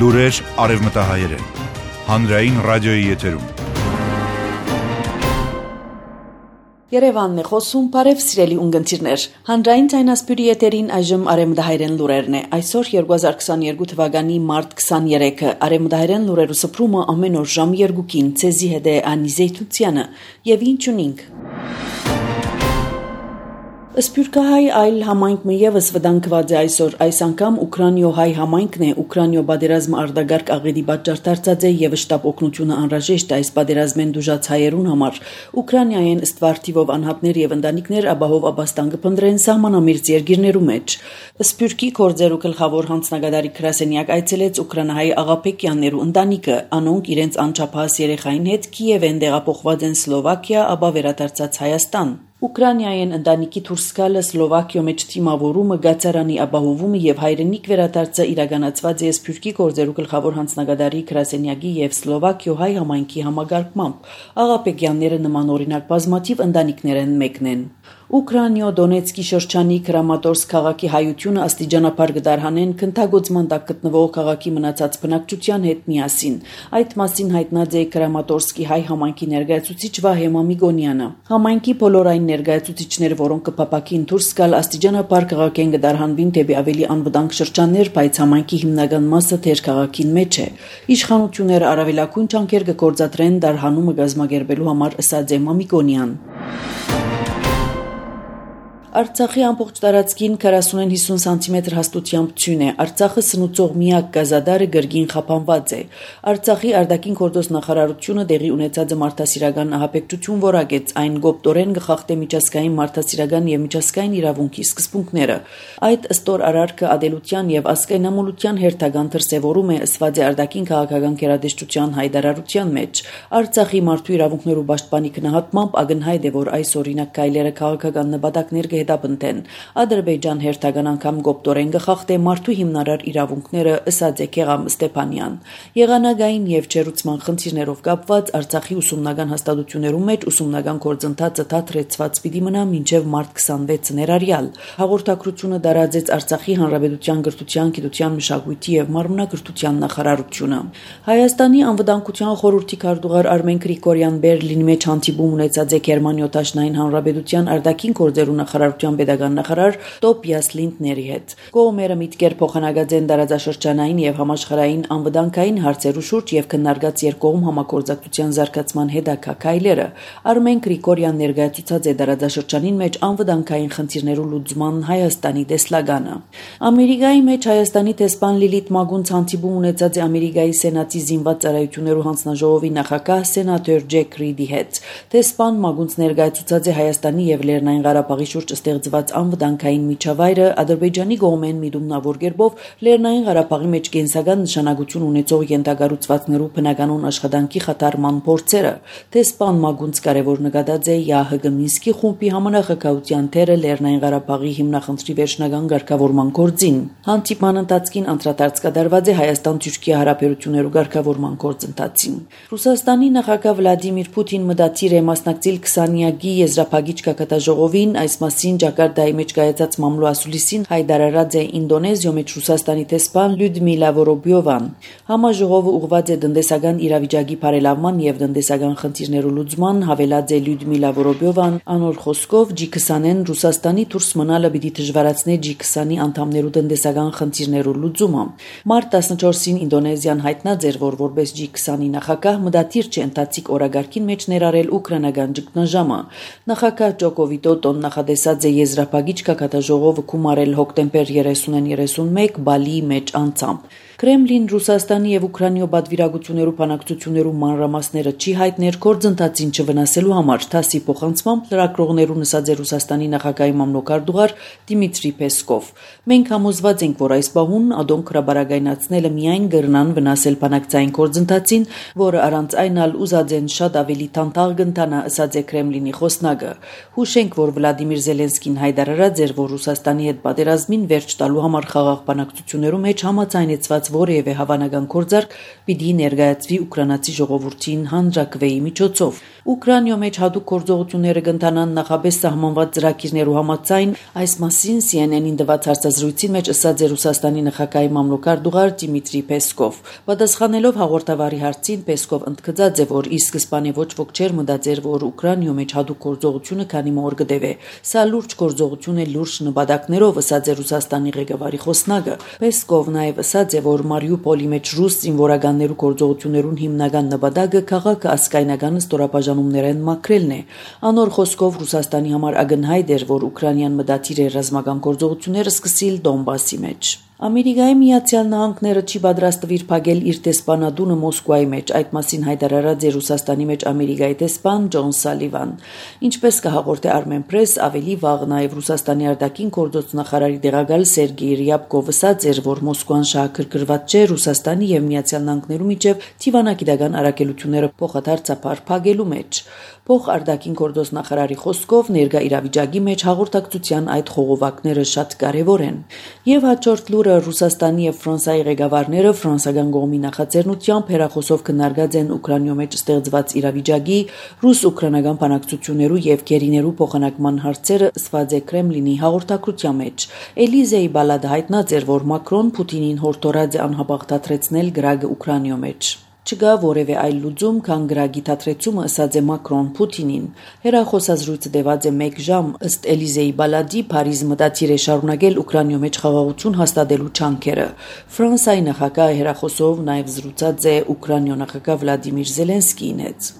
Լուրեր արևմտահայերեն, հանրային ռադիոյի եթերում։ Երևանն է խոսում, բարև սիրելի ունգընտիրներ, հանրային ձայնասպյուրի եթերին այժմ արևմտահայերեն լուրերն է, այսօր 2022 թվականի մարտ 23-ը, արևմտահայերեն լուրերու սփռումը ամեն օր ժամ 2-ին, ցեզի հետ է Անի Զեյթունցյանը, եւ ինչ ունինք։ Սփյուռքահայ այլ համայնքը եւս վտանգված է այսօր, այս անգամ Ուկրաինո-հայ համայնքն է, Ուկրաինո բادرազմը արդագարգ աղետի պատճառ դարձած է եւ շտապ օգնությունը անհրաժեշտ է այս բادرազմեն դժուժած հայերուն համար։ Ուկրաինայեն ըստ վարդիվով անհատներ եւ ընտանիքներ ապահով ապաստան կփնտրեն սահմանամերձ երկիրներու մեջ։ Սփյուռքի կորձերու գլխավոր հանձնագետարի գրասենյակ այցելեց ուկրաինահայ աղափեկյաններու ընտանիքը, անոնք իրենց անչափահաս երեխային հետ Կիև են տեղափոխված են Սլովակիա, ապա վերադարձած Հայաստան։ Ուկրաինայեն ընտանիքի դուրս գալը Սլովակիո մեջ թիմավորումը, գացարանի ապահովումը եւ հայրենիք վերադարձը իրականացված է Սփյուռքի գործերու գլխավոր հանձնագետարի գրասենյակի եւ Սլովակիո հայ համայնքի համագարկմամբ։ Աղափեկյանները նման օրինակ բազմաթիվ ընտանիքներ են մեկն են։ Ուկրաինո Դոնեցկի շրջանի Կրամատորսկ քաղաքի հայությունը աստիճանաբար կդարհանեն քննագործման տակ գտնվող քաղաքի մնացած բնակչության հետ միասին։ Այդ մասին հայտնած է Կրամատորսկի հայ համայնքի ներկայացուցիչ Վահե Մամիկոնյանը։ Համայնքի բոլոր այն ներկայացուցիչները, որոնք կփապակին դուրս գալ աստիճանաբար քաղաքեն կդարհանվին դեպի ավելի անվտանգ շրջաններ, բայց համայնքի հիմնական մասը թեր քաղաքին մեջ է։ Իշխանությունները առավելագույն ջանքեր կգործադրեն դարհանումը կազմակերպելու համար, ըստ է Մամիկոնյան։ Արցախի ամբողջ տարածքին 40-50 սանտիմետր հաստությամբ ցյուն է։ Արցախը սնուցող միակ գազադարը գրգին խափանված է։ Արցախի արտաքին գործոս նախարարությունը դեղի ունեցած մարդասիրական ահաբեկչություն որակեց, այն գոպտորեն գխախտե միջազգային մարդասիրական եւ միջազգային իրավունքի սկզբունքները։ Այդ ըստոր արարքը ադելության եւ ազգայնամոլության հերթական դրսեւորում է ըսված է արտաքին քաղաքական գերատեսչության հայտարարության մեջ։ Արցախի մարդու իրավունքներու պաշտպանի գնահատմամբ ակնհայտ է, որ այս օրինակ կայլերը քաղաքական նպատակներ հետապնդեն։ Ադրբեջան հերթական անգամ գոպտորեն գխախտե մարդու հիմնարար իրավունքները, ըսած է Գեղամ Ստեփանյան։ Եղանակային եւ ջերուցման խնդիրներով կապված Արցախի ուսումնական հաստատություններում մեջ ուսումնական գործընթացը դադրեցված պիտի մնա մինչեւ մարտ 26 ներառյալ։ Հաղորդակցությունը դարաձեց Արցախի Հանրապետության գրթության, գիտության, մշակույթի եւ մարմնագրթության նախարարությունը։ Հայաստանի անվտանգության խորհրդի քարտուղար Արմեն Գրիգորյան Բերլինի մեջ հանդիպում ունեցած է Գերմանիո Դաշնային Հանրապետության արտաքին գործերու նախարարության pedagogan նախարար Տոպիաս Լինդների հետ։ Կողմերը միտքեր փոխանակած են դարաձաշրջանային եւ համաշխարհային անվտանգային հարցերու շուրջ եւ քննարկած երկկողմ համագործակցության զարգացման հետաքայլերը։ Արմեն Գրիգորյան ներկայացուցած է դարաձաշրջանին մեջ անվտանգային խնդիրներու լուծման Հայաստանի տեսլականը։ Ամերիկայի մեջ Հայաստանի տեսփան Լիլիթ Մագունց հանդիպում ունեցած է Ամերիկայի Սենատի զինված ծառայություններու հանձնաժողովի նախագահ սենատոր Ջեք Ռիդի հետ։ Տեսփան Մագունց ներկայացուցած է Հայաստանի եւ Լեռնային Ղարաբաղի շուրջ ստեղծված անվտանգային միջավայրը Ադրբեջանի կողմեն միտումնավոր կերպով Լեռնային Ղարաբաղի մեջ կենսական նշանակություն ունեցող ենթակառուցվածքներու բնականոն աշխատանքի խաթարման փորձերը։ Տեսփան Մագունց կարևոր նկատած է ՀՀԳ Մինսկի խումբի համանախագահության թերը Լեռնային Ղարաբաղի հիմնախնդրի վերջնական ղեկավարման գործին։ Հանդիպման ընթացքին անդրադարձ կատարված է Հայաստան-Թուրքիա հարաբերություններու ղեկավարման գործընթացին։ Ռուսաստանի նախագահ Վլադիմիր Պուտին մտադիր է մասնակցել 20-յակի եզրափակիչ կակատաժողովին, այս մասին Ջակարտայի մեջ կայացած մամլո ասուլիսին հայտարարած է Ինդոնեզիո մեջ Ռուսաստանի տեսփան Լյուդմիլա Որոբյովան։ Համաժողովը ուղղված է տնտեսական իրավիճակի բարելավման եւ տնտեսական խնդիրներու լուծման, հավելած է Լյուդմիլա Որոբյովան, անոր խոսքով G20-ն Ռուսաստանի դուրս մնալը պիտի դժվարացնի G20-ի անդամներու տնտեսական խնդիրներու լուծումը։ Մարտ 14-ին Ինդոնեզիան հայտնած էր, որ որպես G20-ի նախագահ մտադիր չէ ընթացիկ օրագարկին մեջ ներառել ուկրաինական ճգնաժամը։ Նախագահ Ջոկո Վիդոդոն նախադեսած է եզրափակիչ կակատաժողովը կումարել հոկտեմբեր 30-ին 31 Բալիի մեջ անցամբ։ Կրեմլին Ռուսաստանի եւ Ուկրաինո պատվիրակություններու բանակցություններու մանրամասները չի հայտներ գործընթացին չվնասելու համար, թասի փոխանցմամբ լրագրողներուն ասած է Ռուսաստանի նախագահի մամլոքարտուղար Դիմիտրի Պեսկով։ Մենք համոզված ենք, որ այս բահուն ադոն քրաբարագայնացնելը միայն կրնան վնասել բանակցային գործընթացին, որը առանց այն ալ ուզածեն շատ ավելի տանտաղ կընթանա, ասած է Կրեմլինի խոսնակը։ Հուշենք, որ Վլադիմիր Զելենսկին հայտարարած էր, որ Ռուսաստանի հետ պատերազմին վերջ տալու համար խաղաղ բանակցություններում մեջ համաձայնեցված որևէ հավանական գործարք պիտի ներկայացվի ուկրաինացի ժողովրդին հանրակրվեի միջոցով։ Ուկրաինայում մեջ հատուկ գործողությունները կընթանան նախապես սահմանված ծրագիրներու համաձայն, այս մասին CNN-ին տված հարցազրույցին մեջ ասաց Ռուսաստանի նախագահի մամլոքարդուղար Դիմիտրի Պեսկով։ Պատասխանելով հաղորդավարի հարցին, Պեսկով ընդգծած է, որ ի սկզբանե ոչ ոք չէր մտածեր, որ Ուկրաինայում մեջ հատուկ գործողությունը քանի մոր կդեվե։ Սա լուրջ գործողություն է լուրջ նպատակներով, ասաց է Ռուսաստանի ղեկավարի խոսնակը։ Պեսկով նաև ասաց է, որ Մարիուպոլի մեջ ռուս զինվորականներու գործողություններուն հիմնական նպատակը քաղաքը ասկայնական ստորաբաժանումներեն մաքրելն է։ Անոր խոսքով Ռուսաստանի համար ակնհայտ էր, որ Ուկրաինան մտադիր է ռազմական գործողությունները սկսել Դոնբասի մեջ։ Ամերիկայի Միացյալ Նահանգները չի պատրաստվիր փակել իր տեսփանադունը Մոսկվայի մեջ, այդ մասին հայտարարած է Ռուսաստանի մեջ Ամերիկայի տեսփան Ջոն Սալիվան։ Ինչպես կհաղորդե Armen Press, ավելի վաղ նաև Ռուսաստանի արտաքին գործոց նախարարի տեղակալ Սերգեյ Ռյաբկովը ասաց էր, որ Մոսկվան շահագրգռված չէ Ռուսաստանի եւ Միացյալ Նահանգներու միջև թիվանագիտական առաքելությունները փոխադարձաբար փակելու մեջ։ Փոխարտաքին գործոց նախարարի խոսքով ներկա իրավիճակի մեջ հաղորդակցության այդ խողովակները շատ կարևոր են։ Եվ հաջորդ լուրը Ռուսաստանի եւ Ֆրանսիայի ղեկավարները ֆրանսիական կողմի նախաձեռնությամբ հերախոսով քննարկած են Ուկրաինայում մեջ ստեղծված իրավիճակի, ռուս-ուկրաինական բանակցություններու եւ գերիներու փոխանակման հարցերը ասված է Կրեմլինի հաղորդակցության մեջ։ Էլիզեի բալադը հայտնած էր, որ Մակրոն Պուտինին հորդորած է անհապաղ դադրեցնել գրագը Ուկրաինայում մեջ։ Չկա որևէ այլ լուծում, քան գրագի դադրեցումը, ասաց է Մակրոն Պուտինին։ Հերախոսազրույցը տևած է 1 ժամ, ըստ Էլիզեի բալադի Փարիզ մտադիր է շարունակել Ուկրաինայում մեջ խաղաղություն հաստատելու չանքերը։ Ֆրանսիայի նախագահը հերախոսով նաև զրուցած է Ուկրաինայ նախագահ Վլադիմիր Զելենսկիին հետ։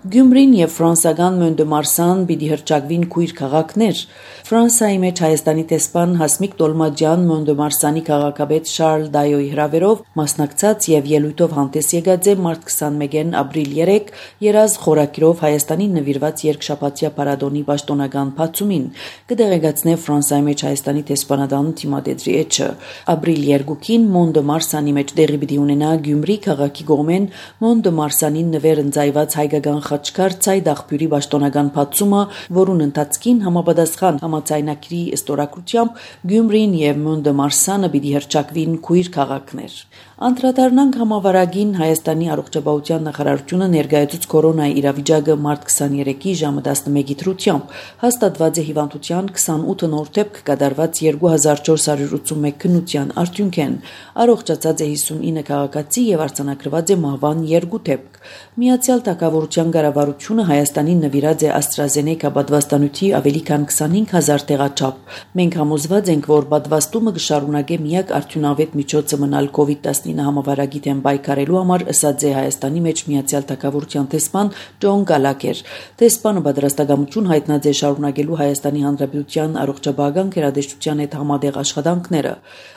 Գյումրին եւ ֆրանսիական Մոնդեմարսան պիտի հրճակվին քույր քաղաքներ։ Ֆրանսիայի մեջ Հայաստանի տեսփան Հասմիկ Տոլմաջյան Մոնդեմարսանի քաղաքապետ Շարլ Դայոյի հրավերով մասնակցած եւ ելույթով հանդես եկած է մարտ 21-ին ապրիլ 3 երազ խորակիրով Հայաստանին նվիրված երկշաբաթյա պարադոնի պաշտոնական բացումին։ Կդեղեկացնե Ֆրանսիայի մեջ Հայաստանի տեսփանադան Թիմադեդրի էջը։ Ապրիլ 2-ին Մոնդեմարսանի մեջ տեղի պիտի ունենա Գյումրի քաղաքի կողմեն Մոնդեմարսանին նվեր ընծայված հայկական խաչքար ցայդ աղբյուրի պաշտոնական բացումը, որուն ընթացքին համապատասխան համաձայնագրի ստորագրությամբ Գյումրին եւ Մոնդեմարսանը պիտի հրճակվին քույր քաղաքներ։ Անդրադառնանք համավարակին Հայաստանի առողջապահության նախարարությունը ներկայացուց կորոնայի իրավիճակը մարտ 23-ի ժամը 11-ի դրությամբ հաստատված է հիվանդության 28 նոր դեպք կատարված 2481 քննության արդյունքեն առողջացած է 59 քաղաքացի եւ արձանագրված է մահվան 2 դեպք։ Միացյալ Թագավորության կառավարությունը Հայաստանին նվիրած է AstraZeneca պատվաստանյութի ավելի քան 25000 տեղաչափ։ Մենք համոզված ենք, որ պատվաստումը կշարունակե միակ արդյունավետ միջոցը մնալ COVID-19 համավարակի դեմ պայքարելու համար, ասաց է Հայաստանի մեջ Միացյալ Թագավորության տեսփան Ջոն Գալակեր։ Տեսփանը պատրաստակամություն հայտնած է շարունակելու Հայաստանի Հանրապետության առողջապահական գերատեսչության հետ համատեղ աշխատանքները։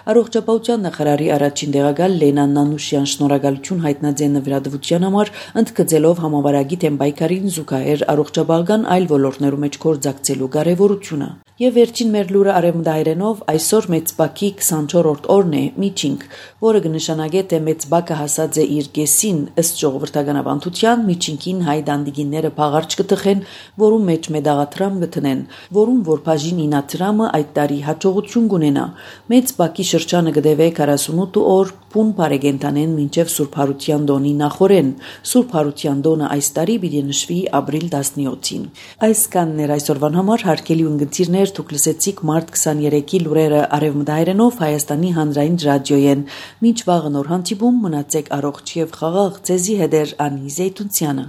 Առողջապահության նախարարի առաջին տեղակալ Լենա Նանուշյան շնորհակալություն հայտնած է նվիրատվության համար, ընդգծելով համավարակի դեմ պայքարին զուգահեռ առողջապահական այլ ոլորտներու մեջ գործակցելու կարևորությունը։ Եվ վերջին մեր լուրը արևմտահայերենով այսօր Մեծ Բաքի 24-րդ օրն է միջինք, որը կնշանակե թե Մեծ Բաքը հասած է իր կեսին, ըստ ժողովրդական ավանդության միջինքին հայ դանդիգինները փաղարջ կտխեն, որում մեջ մեդաղատրամ կտնեն, որում որ բաժին 9 դրամը այդ տարի հաջողություն կունենա։ Մեծ Բաքի շրջանը կդեվե 48 օր փուն բարեգենտանեն մինչև Սուրբ Հարության տոնի նախորեն։ Սուրբ Հարության տոնը այս տարի պիտի նշվի ապրիլ 17-ին։ Այս կաններ այսօրվան համար հարգելի ունգընտիրներ, դուք լսեցիք մարտ 23-ի լուրերը արևմտահայերենով Հայաստանի հանրային ռադիոյեն։ Մինչ վաղը նոր հանդիպում, մնացեք առողջ եւ խաղաղ, ձեզի հետ է Անի Զեյթունցյանը։